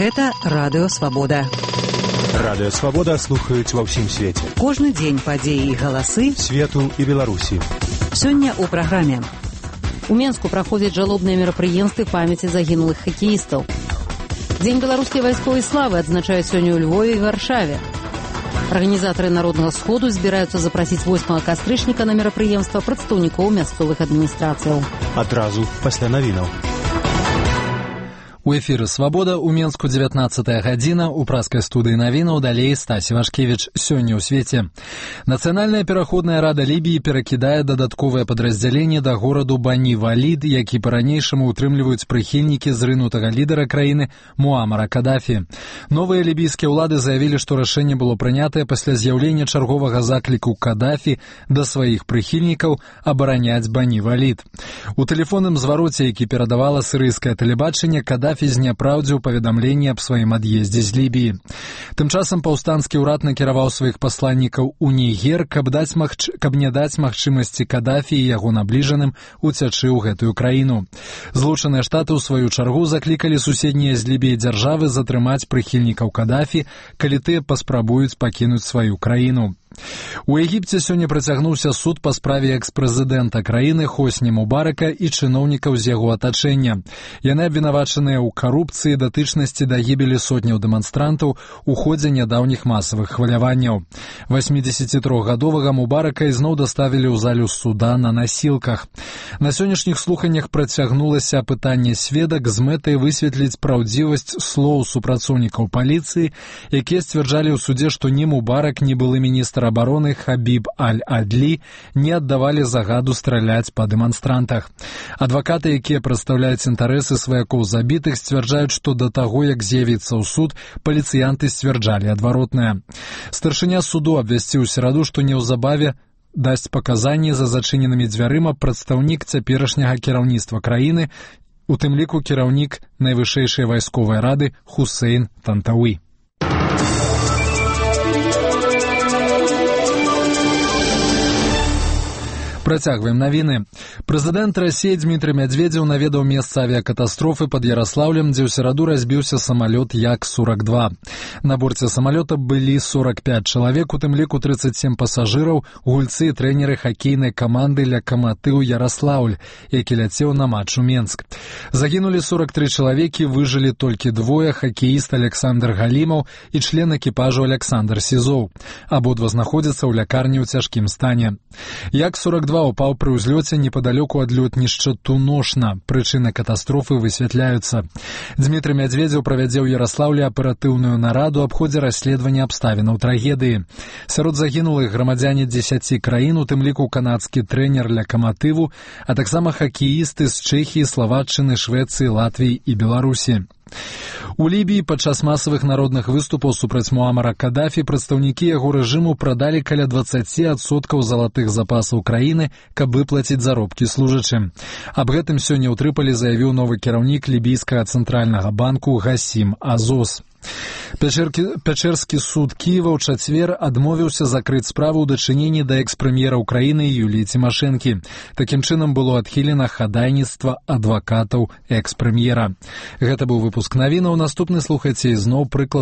Гэта Радыё Свабода. Радыё Свабода слухаюць ва ўсім свеце. Кожны дзень падзеі і галасы свету і Беларусі. Сёння ў праграме. У Менску праходзяць жалобныя мерапрыемствы памяці загінулых хакеістаў. Дзень беларускай вайсковай славы адзначаюць сёння ў Львове і Варшаве. Арганізатары Народнага сходу збіраюцца запрасіць 8 кастрычніка на мерапрыемства прадстаўнікоў мясцовых адміністрацыяў. Адразу пасля навінаў. У эфіры «Свабода» у Менску 19-я гадзіна, у праскай студыі навінаў далей Стасі Вашкевіч. Сёння ў свеце. Нацыянальная пераходная рада Лібіі перакідае дадатковае падраздзяленне да гораду Бані-Валід, які па-ранейшаму утрымліваюць прыхільнікі зрынутага лідара краіны Муамара Кадафі. Новыя лібійскія ўлады заявілі, што рашэнне было прынятае пасля з'яўлення чарговага закліку Кадафі да сваіх прыхільнікаў абараняць Бані-Валід. У тэлефонным звароце, які перадавала сірыйскае тэлебачанне, Кадафі зняпраўдзіў паведамленне аб сваім ад'ездзе з Лібіі. Тым часам паўстанскі ўрад накіраваў сваіх пасланнікаў у Нігер, каб не даць магчымасці Кадафі і яго набліжаным уцячы ў гэтую краіну. Злучаныя Штаты ў сваю чаргу заклікалі суседнія з Лібіі дзяржавы затрымаць прыхільнікаў Кадафі, калі тыя паспрабуюць пакінуць сваю краіну. У Егіпце сёння працягнуўся суд па справе экс-прэзідэнта краіны Хосні Мубарака і чыноўнікаў з яго атачэння. Яны абвінавачаныя ў карупцыі, датычнасці да гібелі сотняў дэманстрантаў у ходзе нядаўніх масавых хваляванняў. 83-гадовага Мубарака ізноў даставілі ў залю суда на насілках. На сённяшніх слуханнях працягнулася апытанне сведак з мэтай высветліць праўдзівасць слоў супрацоўнікаў паліцыі, якія сцвярджалі ў судзе, што ні Мубарак, ні былы міністр абароны Хабіб Аль-Адлі не аддавалі загаду страляць па дэманстрантах. Адвакаты, якія прадстаўляюць інтарэсы сваякоў забітых, сцвярджаюць, што да таго, як з'явіцца ў суд, паліцыянты сцвярджалі адваротнае. Старшыня суду абвясціў у сераду, што неўзабаве дасць паказанні за зачыненымі дзвярыма прадстаўнік цяперашняга кіраўніцтва краіны, у тым ліку кіраўнік найвышэйшай вайсковай рады Хусейн Тантауі. Працягваем навіны. Прэзідэнт Расіі Дмітрый Мядзведзеў наведаў месца авіякатастрофы пад Яраслаўлем, дзе ў сераду разбіўся самалёт Як-42. На борце самалёта былі 45 чалавек, у тым ліку 37 пасажыраў, гульцы і трэнеры хакейнай каманды «Лакаматыў Яраслаўль», які ляцеў на матч у Менск. Загінулі 43 чалавекі, выжылі толькі двое, хакеіст Александр Галімаў і член экіпажу Александр Сізоў. Абодва знаходзяцца ў лякарні ў цяжкім стане. Як-42 упаў пры ўзлёце непадалёку ад лётнішча Туношна. Прычыны катастрофы высвятляюцца. Дмітрый Мядзведзеў правядзе ў Яраслаўле аператыўную нараду аб ходзе расследавання абставінаў трагедыі. Сярод загінулых грамадзяне 10 краін, у тым ліку канадскі трэнер «Лакаматыву», а таксама хакеісты з Чэхіі, Славаччыны, Швецыі, Латвіі і Беларусі. У Лібіі падчас масавых народных выступаў супраць Муамара Кадафі прадстаўнікі яго рэжыму прадалі каля 20% залатых запасаў краіны, каб выплаціць заробкі служачым. Аб гэтым сёння ў Трыполі заявіў новы кіраўнік лібійскага цэнтральнага банку Гасім Азос. Пячэрскі суд Кіева ў чацвер адмовіўся закрыць справу ў дачыненні да экс-прэм'ера ўкраіны Юліі Цімашэнкі. Такім чынам было адхілена хадайніцтва адвакатаў экс-прэм'ера. Гэта быў выпуск навінаў. Наступны слухайце ізноў прыклад